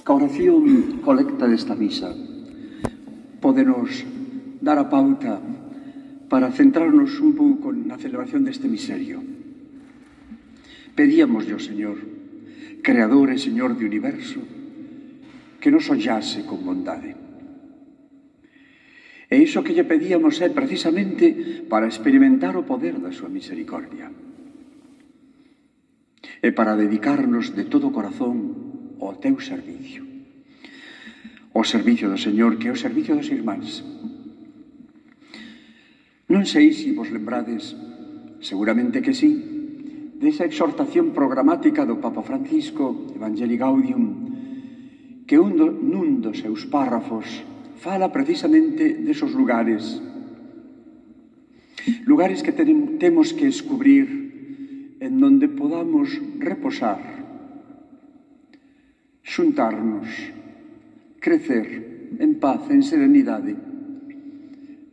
A oración colecta desta misa pódenos dar a pauta para centrarnos un pouco na celebración deste misterio. Pedíamoslle ao Señor, Creador e Señor do universo, que nos ollase con bondade. E iso que lle pedíamos é precisamente para experimentar o poder da súa misericordia e para dedicarnos de todo o corazón ao teu servicio. O servicio do Señor, que é o servicio dos irmáns. Non sei se vos lembrades, seguramente que sí, desa exhortación programática do Papa Francisco, Evangelii Gaudium, que nun dos seus párrafos fala precisamente desos lugares que temos que descubrir en donde podamos reposar, xuntarnos, crecer en paz, en serenidade,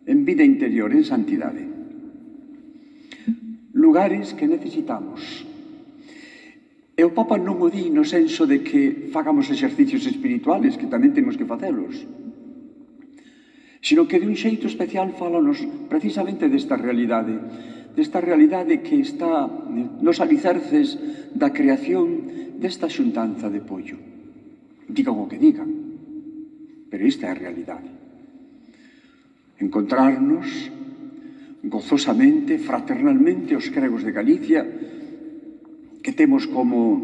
en vida interior, en santidade. Lugares que necesitamos. E o Papa non o di no senso de que fagamos exercicios espirituales, que tamén temos que facelos, sino que de un xeito especial fálanos precisamente desta realidade que está nos alicerces da creación desta xuntanza de Pollo. Digan o que digan, pero esta é a realidade. Encontrarnos gozosamente, fraternalmente, os cregos de Galicia, que temos como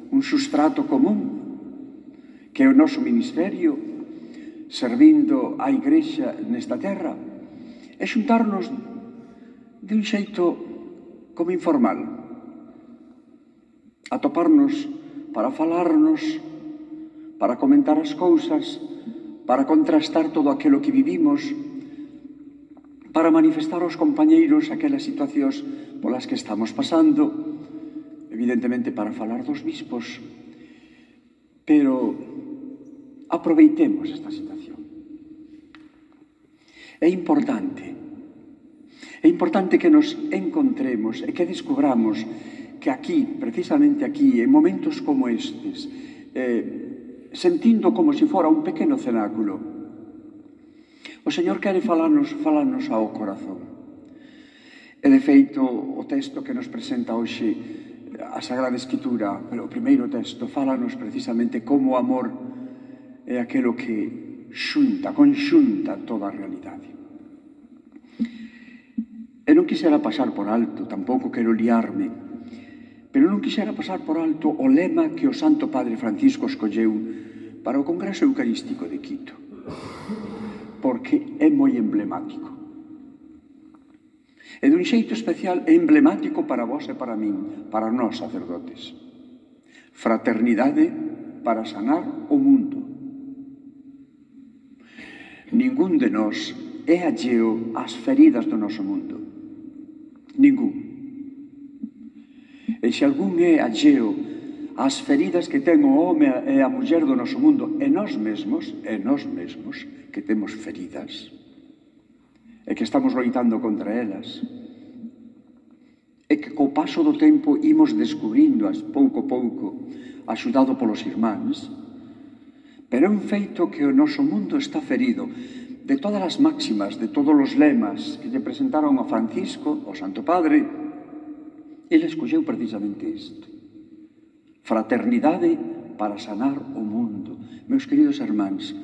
un sustrato común, que é o noso ministerio, servindo a Igrexa nesta terra, e xuntarnos de un xeito como informal, atoparnos para falarnos, para comentar as cousas, para contrastar todo aquilo que vivimos, para manifestar aos compañeiros aquelas situacións polas que estamos pasando, evidentemente para falar dos bispos, pero aproveitemos esta situación. É importante que nos encontremos e que descubramos que aquí, precisamente aquí, en momentos como estes, sentindo como se fora un pequeno cenáculo, o Señor quere falarnos ao corazón. E de feito, o texto que nos presenta hoxe a Sagrada Escritura, o primeiro texto, fálanos precisamente como o amor é aquilo que conxunta toda a realidade. E non quixera pasar por alto, tampouco quero liarme, pero non quixera pasar por alto o lema que o Santo Padre Francisco escolleu para o Congreso Eucarístico de Quito, porque é moi emblemático. E dun xeito especial é emblemático para vos e para min, para nós sacerdotes. Fraternidade para sanar o mundo. Ningún de nós é alleo ás feridas do noso mundo. Ningún. E se algún é alleo ás feridas que ten o home e a muller do noso mundo, e nós mesmos que temos feridas, e que estamos loitando contra elas, e que co paso do tempo imos descubrindo-as pouco a pouco, axudado polos irmáns, pero é un feito que o noso mundo está ferido. De todas as máximas, de todos os lemas que lle presentaron a Francisco, o Santo Padre, ele escolleu precisamente isto. Fraternidade para sanar o mundo. Meus queridos irmáns,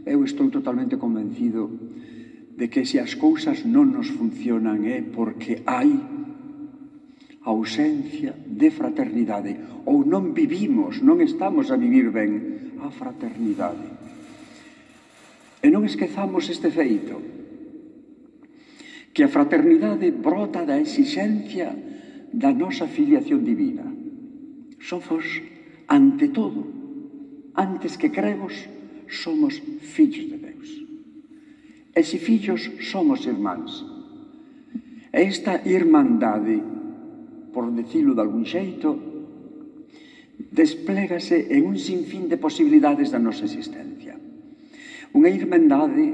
eu estou totalmente convencido de que se as cousas non nos funcionan é porque hai ausencia de fraternidade, ou non vivimos, non estamos a vivir ben a fraternidade. E non esquezamos este feito, que a fraternidade brota da exixencia da nosa filiación divina. Somos, ante todo, antes que cregos, somos fillos de Deus. E se fillos, somos irmáns. E esta irmandade, por decirlo de algún xeito, desplégase en un sinfín de posibilidades da nosa existencia. Unha irmandade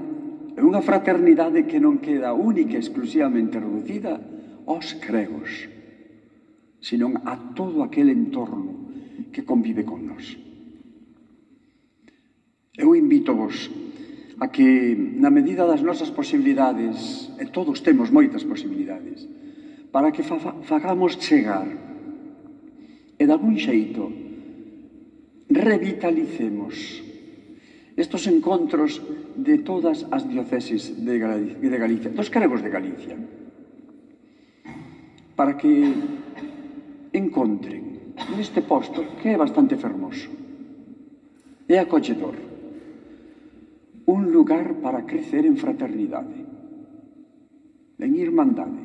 e unha fraternidade que non queda única e exclusivamente reducida aos cregos, senón a todo aquel entorno que convive con nós. Eu invito-vos a que, na medida das nosas posibilidades, e todos temos moitas posibilidades, para que fagamos chegar e, de algún xeito, revitalicemos estos encontros de todas as dioceses de Galicia, dos cregos de Galicia, para que encontren neste posto, que é bastante fermoso, é acolledor, un lugar para crecer en fraternidade, en irmandade,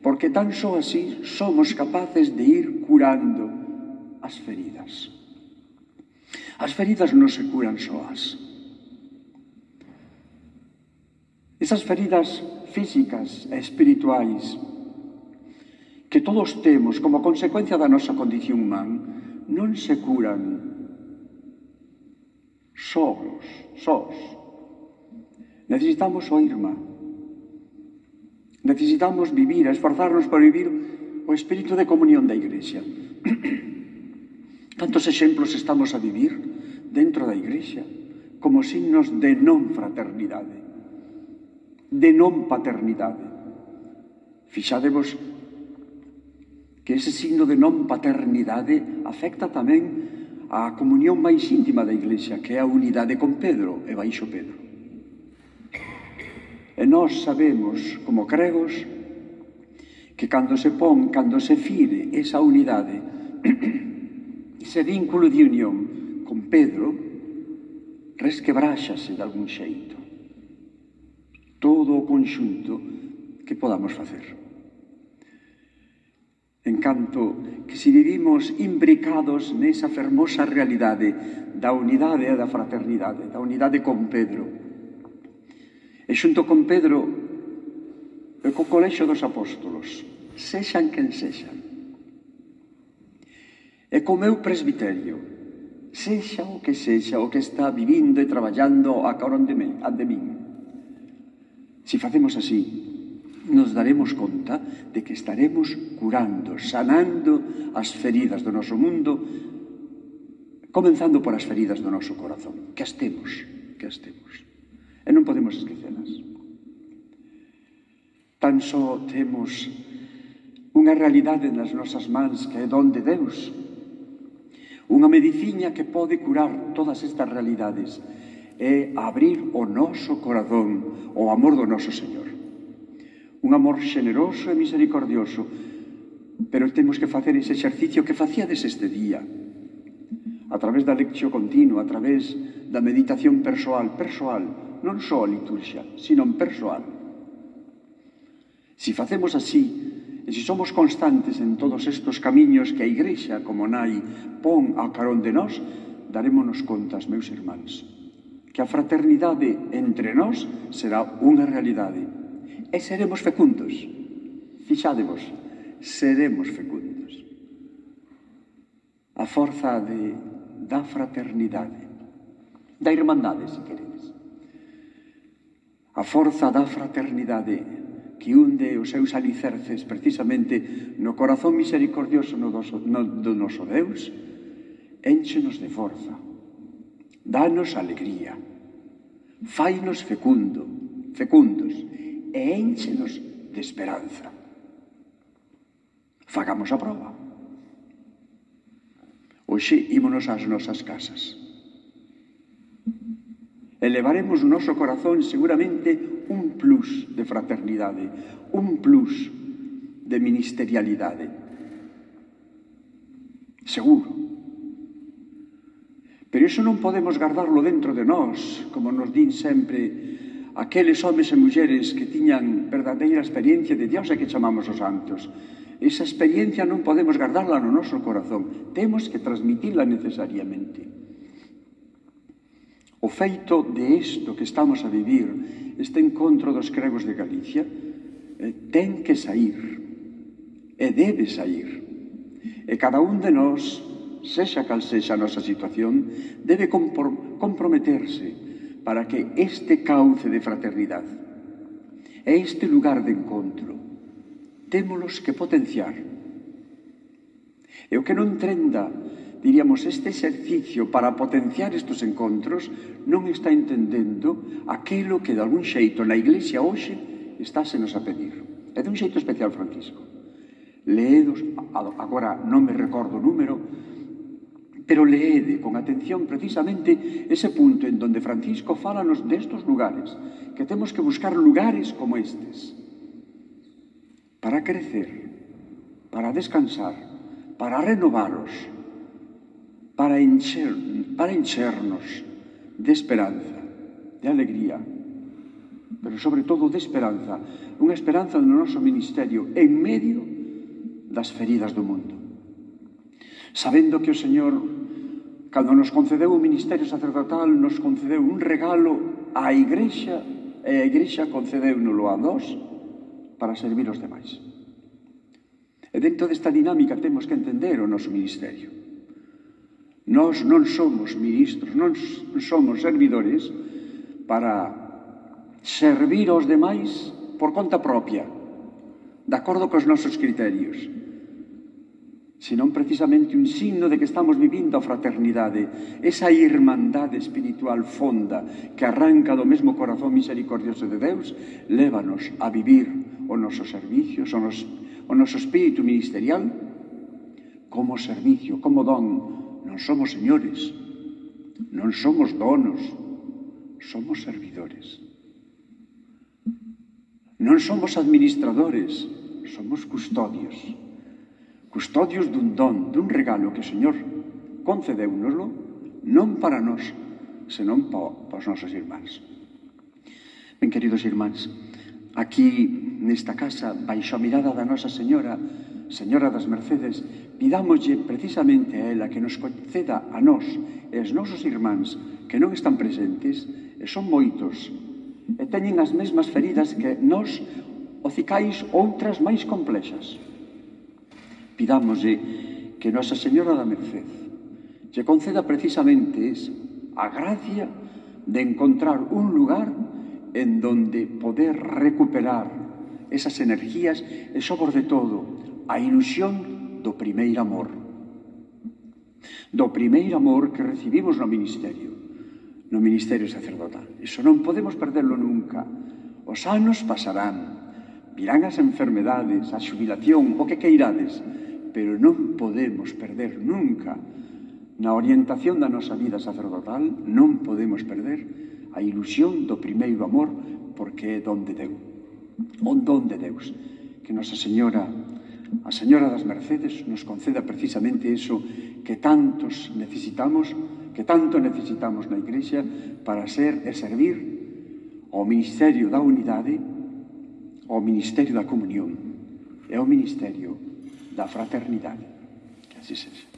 porque tan só así somos capaces de ir curando as feridas. As feridas non se curan soas. Esas feridas físicas e espirituais que todos temos como consecuencia da nosa condición humana non se curan sós. Necesitamos o irmán. Necesitamos vivir, esforzarnos por vivir o espírito de comunión da Igrexa. Tantos exemplos estamos a vivir dentro da Igrexa como signos de non fraternidade, de non paternidade. Fixadevos que ese signo de non paternidade afecta tamén a comunión máis íntima da Iglesia, que é a unidade con Pedro e baixo Pedro. E nós sabemos, como cregos, que cando se fire esa unidade, ese vínculo de unión con Pedro, resquebráxase de algún xeito todo o conxunto que podamos facer. En canto que se vivimos imbricados nesa fermosa realidade da unidade e da fraternidade, da unidade con Pedro, e xunto con Pedro e co colexio dos apóstolos, sexan quen sexan, e co meu presbiterio, sexa o que está vivindo e traballando a carón de min. Se facemos así, nos daremos conta de que estaremos curando, sanando as feridas do noso mundo, comenzando por as feridas do noso corazón, que as temos. E non podemos esquecelas. Tan só temos unha realidade nas nosas mans que é don de Deus, unha mediciña que pode curar todas estas realidades, é abrir o noso corazón ao amor do noso Señor. Un amor xeneroso e misericordioso, pero temos que facer ese exercicio que facíades este día, a través da lectio continua, a través da meditación persoal, non só a liturgia, sino persoal. Se facemos así, e se somos constantes en todos estes camiños que a Igrexa, como nai, pon a carón de nós, darémonos contas, meus irmáns, que a fraternidade entre nós será unha realidade. E seremos fecundos. Fixádevos, seremos fecundos. A forza da fraternidade, da irmandade, se queredes. A forza da fraternidade que hunde os seus alicerces precisamente no corazón misericordioso do noso Deus, énchenos de forza, danos alegría, fainos fecundos, e énchenos de esperanza. Fagamos a proba. Hoxe ímonos ás nosas casas. Elevaremos o noso corazón seguramente un plus de fraternidade, un plus de ministerialidade. Seguro. Pero iso non podemos guardarlo dentro de nós, como nos din sempre aqueles homes e mulleres que tiñan verdadeira experiencia de Dios e que chamamos os santos. Esa experiencia non podemos guardarla no noso corazón. Temos que transmitila necesariamente. O feito de isto que estamos a vivir, este encontro dos cregos de Galicia, ten que sair. E debe sair. E cada un de nós, sexa cal sexa a nosa situación, debe comprometerse para que este cauce de fraternidade e este lugar de encontro témolos que potenciar. E o que non trenda diríamos, este exercicio para potenciar estes encontros non está entendendo aquilo que de algún xeito na Iglesia hoxe estásenos a pedir. E de un xeito especial, Francisco. Leedos, agora non me recordo o número, pero leede con atención precisamente ese punto en donde Francisco fálanos destos lugares, que temos que buscar lugares como estes, para crecer, para descansar, para renovaros, para enchernos de esperanza, de alegría, pero sobre todo de esperanza, unha esperanza no noso ministerio en medio das feridas do mundo. Sabendo que o Señor, cando nos concedeu o ministerio sacerdotal, nos concedeu un regalo á Igrexa, e a Igrexa concedéunolo a nós para servir aos demais. E dentro desta dinámica temos que entender o noso ministerio. Nós non somos ministros, non somos servidores para servir aos demais por conta propia, de acordo cos nosos criterios, senón precisamente un signo de que estamos vivindo a fraternidade, esa irmandade espiritual fonda que arranca do mesmo corazón misericordioso de Deus, lévanos a vivir o noso servicio, o noso espírito ministerial como servicio, como don. Non somos señores, non somos donos, somos servidores. Non somos administradores, somos custodios. Custodios dun don, dun regalo que o Señor concedéunoslo, non para nós, senón para os nosos irmáns. Ben, queridos irmáns, aquí nesta casa, baixo a mirada da Nosa Señora, Señora das Mercedes, pidámoslle precisamente a ela que nos conceda a nós e aos nosos irmáns que non están presentes, e son moitos, e teñen as mesmas feridas que nós, ocicais outras máis complexas. Pidámoslle que Nosa Señora da Merced lle conceda precisamente a gracia de encontrar un lugar en donde poder recuperar esas energías e, sobre todo, a ilusión do primeiro amor. Do primeiro amor que recibimos no ministerio sacerdotal. Iso non podemos perderlo nunca. Os anos pasarán, virán as enfermedades, a xubilación, o que queirades, pero non podemos perder nunca, na orientación da nosa vida sacerdotal, non podemos perder a ilusión do primeiro amor, porque é don de Deus. O don de Deus. Que Nosa Señora, a Señora das Mercedes, nos conceda precisamente iso que tantos necesitamos, que tanto necesitamos na Igrexa para ser e servir ao ministerio da unidade, ao ministerio da comunión e ao ministerio da fraternidade. Que así sexa.